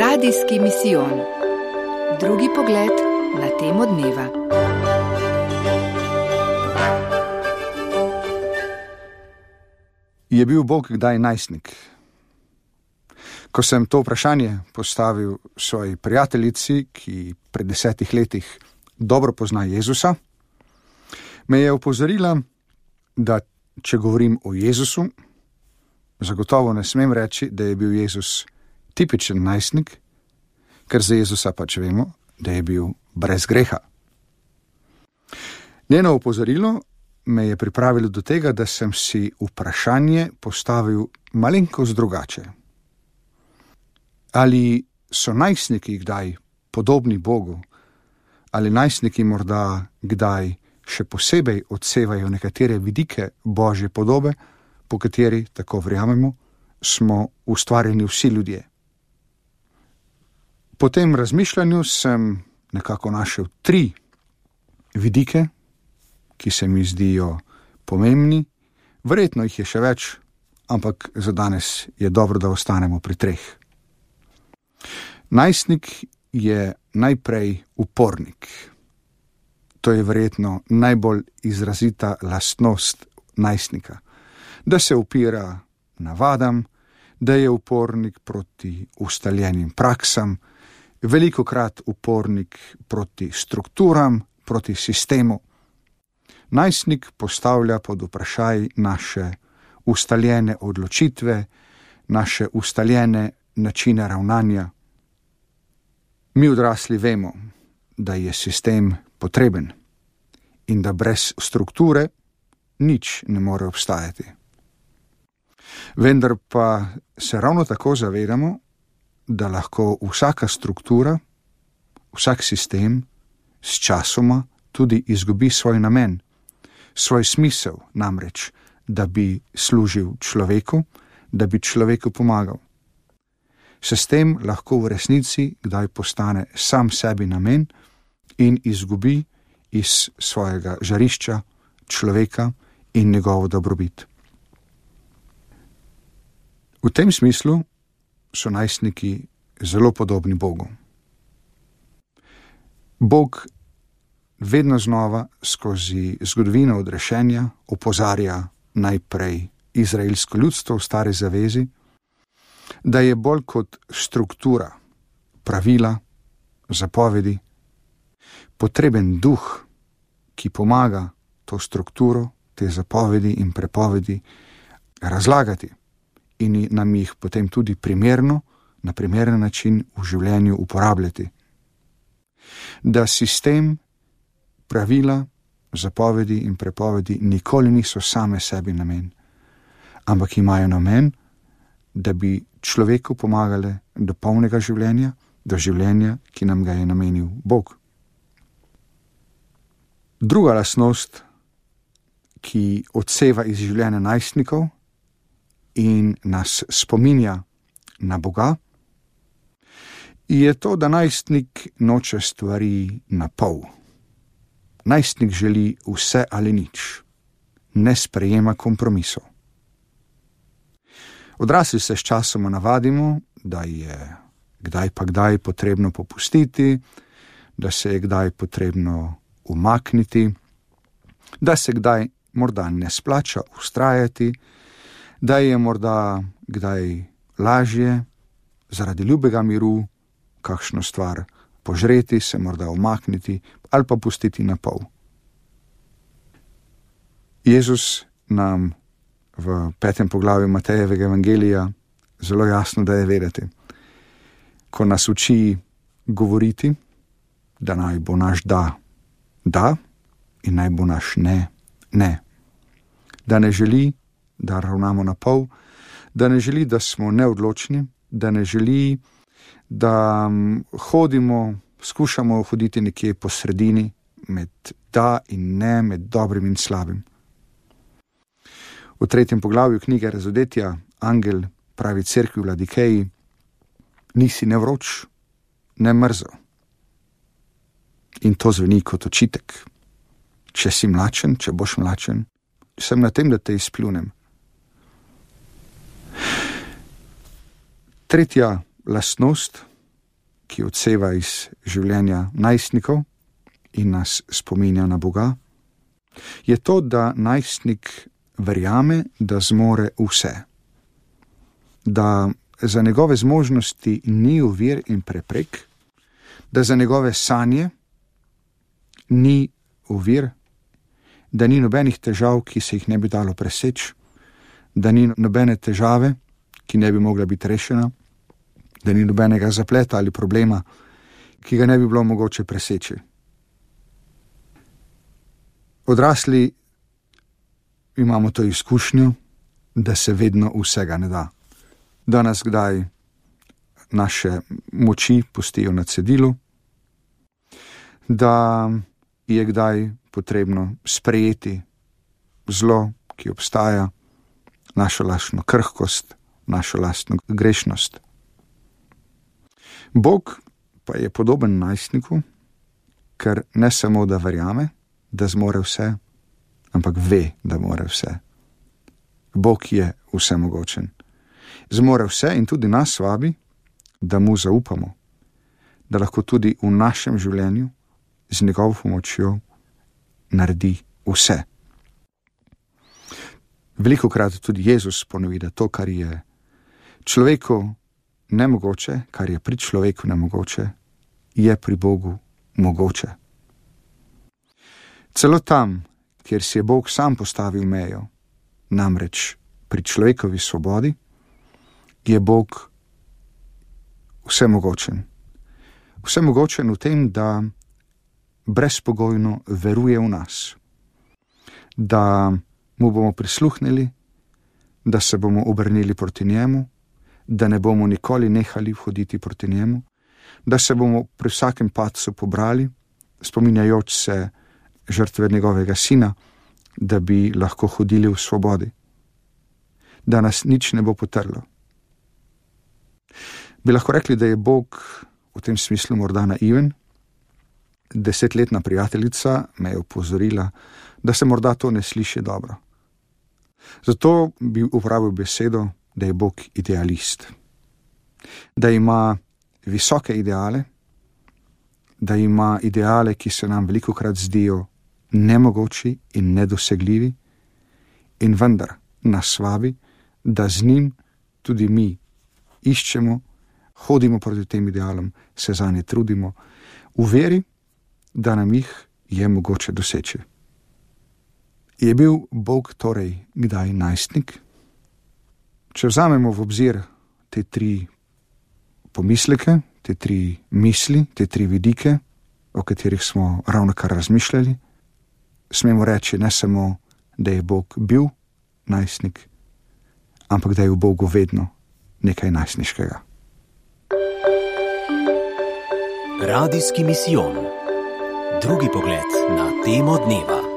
Radijski misijon. Drugi pogled na temo dneva. Je bil Bog kdaj najstnik? Ko sem to vprašanje postavil svoji prijateljici, ki pred 10 letih dobro pozna Jezusa, me je opozorila, da če govorim o Jezusu, zagotovo ne smem reči, da je bil Jezus tipičen najstnik, ker za Jezusa pač vemo, da je bil brez greha. Njeno opozorilo me je pripravilo do tega, da sem si vprašanje postavil malenkost drugače. Ali so najstniki kdaj podobni Bogu? Ali najstniki morda kdaj še posebej odsevajo nekatere vidike Božje podobe, po kateri, tako verjamemo, smo ustvarjeni vsi ljudje? Po tem razmišljanju sem nekako našel 3 vidike, ki se mi zdijo pomembni. Verjetno jih je še več, ampak za danes je dobro, da ostanemo pri 3. Najstnik je najprej upornik. To je verjetno najbolj izrazita lastnost najstnika. Da se upira navadam, da je upornik proti ustaljenim praksam, velikokrat upornik proti strukturam, proti sistemu. Najstnik postavlja pod vprašaj naše ustaljene odločitve, naše ustaljene načine ravnanja. Mi odrasli vemo, da je sistem potreben in da brez strukture nič ne more obstajati. Vendar pa se ravno tako zavedamo, da lahko vsaka struktura, vsak sistem s časoma tudi izgubi svoj namen, svoj smisel, namreč, da bi služil človeku, da bi človeku pomagal. Sistem lahko v resnici kdaj postane sam sebi namen in izgubi iz svojega žarišča človeka in njegovo dobrobit. V tem smislu so najstniki zelo podobni Bogu. Bog vedno znova skozi zgodovino odrešenja opozarja najprej izraelsko ljudstvo v Stari zavezi, da je bolj kot struktura, pravila, zapovedi, potreben duh, ki pomaga to strukturo, te zapovedi in prepovedi razlagati in nam jih potem tudi primerno, na primeren način v življenju uporabljati. Da sistem, pravila, zapovedi in prepovedi nikoli niso same sebi namen, ampak imajo namen, da bi človeku pomagale do polnega življenja, do življenja, ki nam ga je namenil Bog. Druga lastnost, ki odseva iz življenja najstnikov in nas spominja na Boga, je to, da najstnik noče stvari na pol. Najstnik želi vse ali nič, ne sprejema kompromisov. Odrasli se s časoma navadimo, da je kdaj pa kdaj potrebno popustiti, da se je kdaj potrebno umakniti, da se kdaj morda ne splača vztrajati, da je morda kdaj lažje zaradi ljubega miru kakšno stvar požreti, se morda umakniti ali pa pustiti na pol. Jezus nam v 5. poglavju Matejevega evangelija zelo jasno daje vedeti, ko nas uči govoriti, da naj bo naš da, da in naj bo naš ne, ne. Da ne želi, da ravnamo na pol, da ne želi, da smo neodločni, da ne želi, da hodimo, skušamo hoditi nekje po sredini, med da in ne, med dobrim in slabim. V 3. poglavju knjige Razodetja angel pravi cerkvi v Ladikeji: nisi ne vroč, ne mrzel. In to zveni kot očitek. Če si mlačen, če boš mlačen, sem na tem, da te izpljunem. Tretja lastnost, ki odseva iz življenja najstnikov in nas spominja na Boga, je to, da najstnik verjame, da zmore vse. Da za njegove zmožnosti ni ovir in preprek, da za njegove sanje ni ovir, da ni nobenih težav, ki se jih ne bi dalo preseči, da ni nobene težave, ki ne bi mogla biti rešena, da ni nobenega zapleta ali problema, ki ga ne bi bilo mogoče preseči. Odrasli imamo to izkušnjo, da se vedno vsega ne da. Da nas kdaj naše moči pustijo na cedilu, da je kdaj potrebno sprejeti zlo, ki obstaja, našo lastno krhkost, našo lastno grešnost. Bog pa je podoben najstniku, ker ne samo, da verjame, da zmore vse, ampak ve, da more vse. Bog je vsemogočen. Zmore vse in tudi nas vabi, da mu zaupamo, da lahko tudi v našem življenju z njegovo pomočjo naredi vse. Velikokrat tudi Jezus ponovi, da to, kar je človeku nemogoče, kar je pri človeku nemogoče, je pri Bogu mogoče. Celo tam, kjer si je Bog sam postavil mejo, namreč pri človekovi svobodi, je Bog vsemogočen. Vsemogočen v tem, da brezpogojno veruje v nas, da mu bomo prisluhnili, da se bomo obrnili proti njemu, da ne bomo nikoli nehali hoditi proti njemu, da se bomo pri vsakem padcu pobrali, spominjajoč se žrtve njegovega sina, da bi lahko hodili v svobodi, da nas nič ne bo potrlo. Bi lahko rekli, da je Bog v tem smislu morda naiven. 10-letna prijateljica me je opozorila, da se morda to ne sliši dobro. Zato bi uporabil besedo, da je Bog idealist. Da ima visoke ideale, da ima ideale, ki se nam velikokrat zdijo nemogoči in nedosegljivi, in vendar nas vabi, da z njim tudi mi iščemo, hodimo proti tem idealom, se zanje trudimo, v veri, da nam jih je mogoče doseči. Je bil Bog torej kdaj najstnik? Če vzamemo v obzir te 3 pomisleke, te 3 misli, te 3 vidike, o katerih smo ravnokar razmišljali, smemo reči ne samo, da je Bog bil najstnik, ampak da je v Bogu vedno nekaj najstniškega. Radijski misijon. Drugi pogled na temo dneva.